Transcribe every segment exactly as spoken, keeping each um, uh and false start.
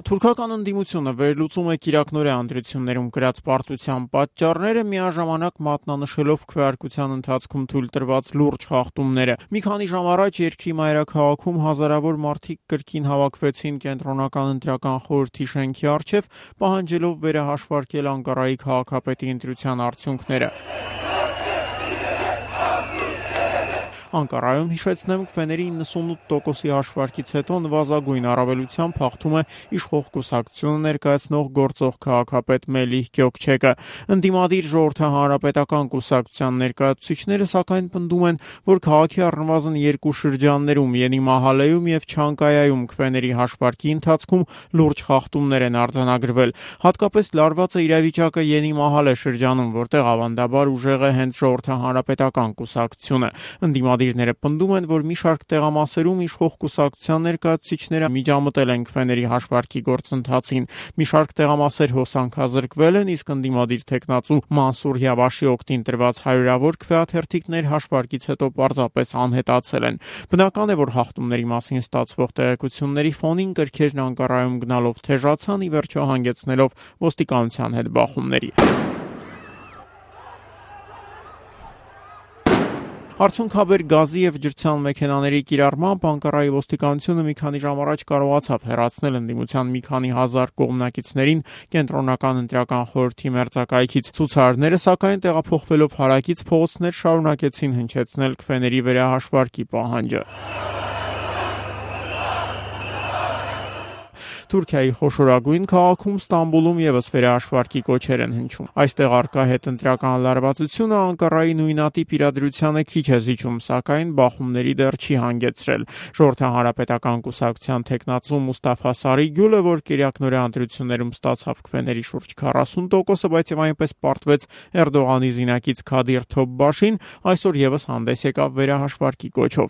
Թուրքական ընդդիմությունը վերլուծում է Կիրակնորե ընտրություններում կրած պարտության պատճառները, միաժամանակ մատնանշելով քվեարկության ընթացքում թույլ տրված լուրջ խախտումները։ Մի քանի ժամ առաջ երկրի մայրաքաղաքում հազարավոր մարդիկ կրկին հավաքվեցին Կենտրոնական ընտրական խորհրդի շենքի առջև, պահանջելով վերահաշվարկել Անկարայի քաղաքապետի ընտրության արդյունքները։ Անկարայում, հիշեցնեմ, քվեների իննսունութ տոկոսի հաշվարկից հետո նվազագույն առավելությամբ հաղթում է իշխող կուսակցությունը ներկայացնող գործող քաղաքապետ Մելիհ Գյոքչեկը։ Ընդդիմադիր ժողովրդահանրապետական կուսակցության ներկայացուցիչները սակայն պնդում են, որ քաղաքի առնվազն երկու շրջաններում՝ Յենի Մահալեում եւ Չանկայայում քվեների հաշվարկի ընթացքում լուրջ խախտումներ են արձանագրվել։ Հատկապես լարված է իրավիճակը Յենի Մահալե շրջանում, որտեղ ավանդաբար ուժեղ է հենց ժողովրդահանրապետական կուսակցությունը։ Ընդդիմադիրները պնդում են, որ մի շարք տեղամասերում իշխող կուսակցության ներկայացուցիչները միջամտել են քվեների հաշվարկի գործընթացին։ Մի շարք տեղամասեր հոսանքազրկվել են, իսկ ընդդիմադիր թեկնածու Մանսուր Յավաշի օգտին տրված հարյուրավոր քվեաթերթիկներ հաշվարկից հետո պարզապես անհետացել են։ Բնական է, որ խախտումների մասին ստացվող տեղեկությունների ֆոնին կրքերն Անկարայում գնալով թեժացան, ի վերջո հանգեցնելով ոստիկանության հետ բախումների։ Արդյունքաբեր գազի եւ ջրցան մեքենաների կիրառմամբ Անկարայի ոստիկանությունը մի քանի ժամ առաջ կարողացավ հեռացնել ընդդիմության մի քանի հազար կողմնակիցներին Կենտրոնական ընտրական խորհրդի մերձակայքից։ Ցուցարարները, սակայն, տեղափոխվելով հարակից փողոցներ, շարունակեցին հնչեցնել քվեների վերահաշվարկի պահանջը։ Թուրքիայի խոշորագույն քաղաքում Ստամբուլում եւս վերահաշվարկի կոչեր են հնչում։ Այստեղ առկա հետընտրական լարվածությունը Անկարայի նույնատիպ իրադրությանը քիչ է զիջում, սակայն բախումների դեռ չի հանգեցրել։ Ժողովրդահանրապետական կուսակցության թեկնածու Մուստաֆա Սարիգյուլը, որ Կիրակնորե ընտրություններում ստացավ քվեների շուրջ քառասուն տոկոսը, բայց եւ այնպես պարտվեց Էրդողանի զինակից Քադիր Թոփբաշին, այսօր եւս հանդես եկավ վերահաշվարկի կոչով։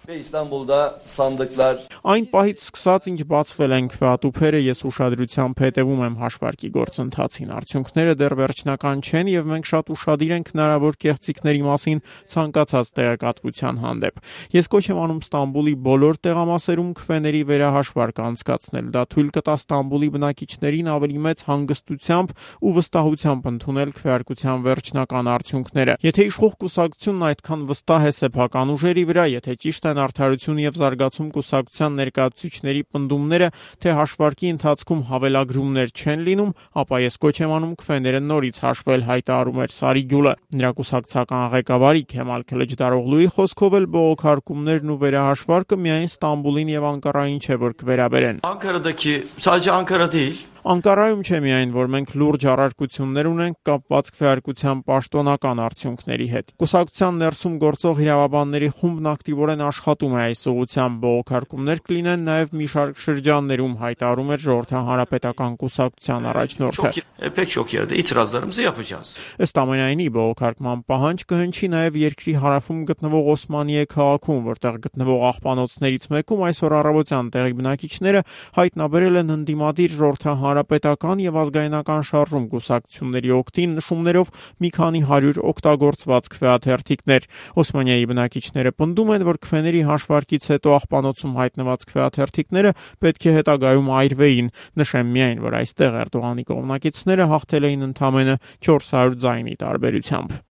Այն պահից սկսած, ինչ բացվել են քվեատուփերը, ես ուշադրությամբ հետևում եմ հաշվարկի գործընթացին։ Արդյունքները դեռ վերջնական չեն եւ մենք շատ ուշադիր ենք հնարավոր կեղծիքների մասին ցանկացած տեղեկատվության հանդեպ։ Ես կոչ եմ անում Ստամբուլի բոլոր տեղամասերում քվեների վերահաշվարկ անցկացնել։ Դա թույլ կտա Ստամբուլի բնակիչներին ավելի մեծ հանգստությամբ ու վստահությամբ ընդունել քվեարկության վերջնական արդյունքները։ Եթե իշխող կուսակցությունն այդքան վստահ է սեփական ուժերի վրա, եթե ճիշտ են Արդարություն եւ զարգացում կուսակցության ներկայացուցիչների պնդումները, թե հաշվարկի ընթացքում հավելագրումներ չեն լինում, ապա ես կոչ եմ անում քվեները նորից հաշվել, հայտարարում էր Սարիգյուլը։ Նրա կուսակցական ղեկավարի Քեմալ Քլիչդարօղլուի խոսքով էլ բողոքարկումներն ու վերահաշվարկը միայն Ստամբուլին եւ Անկարային չէ, որ կվերաբերեն։ Անկարa'daki, sadece Ankara değil. Անկարայում չէ միայն, որ մենք լուրջ առարկություններ ունենք կապված քվեարկության պաշտոնական արդյունքների հետ։ Կուսակցության ներսում գործող իրավաբանների խումբն ակտիվորեն աշխատում է այս ուղղությամբ, բողոքարկումներ կլինեն նաև մի շարք շրջաններում, հայտարարում էր Ժողովրդահանրապետական կուսակցության առաջնորդը։ Pek çok yerde itirazlarımızı yapacağız. Ըստ ամենայնի բողոքարկման պահանջ կհնչի նաև երկրի հարավում գտնվող Օսմանիե քաղաքում, որտեղ գտնվող աղբանոցներից մեկում այսօր առավոտյան տեղի բնակիչները հայտնաբերել են ընդդիմադիր ժողովրդահանրապետական եւ ազգայնական շարժում կուսակցությունների օգտին նշումներով մի քանի հարյուր օգտագործված քվեաթերթիկներ։ Օսմանիայի բնակիչները պնդում են, որ քվեների հաշվարկից հետո աղբանոցում հայտնված քվեաթերթիկները պետք է հետագայում այրվեին։ Նշեմ միայն, որ այստեղ Էրդողանի կողմնակիցները հաղթել էին ընդամենը չորս հարյուր ձայնի տարբերությամբ։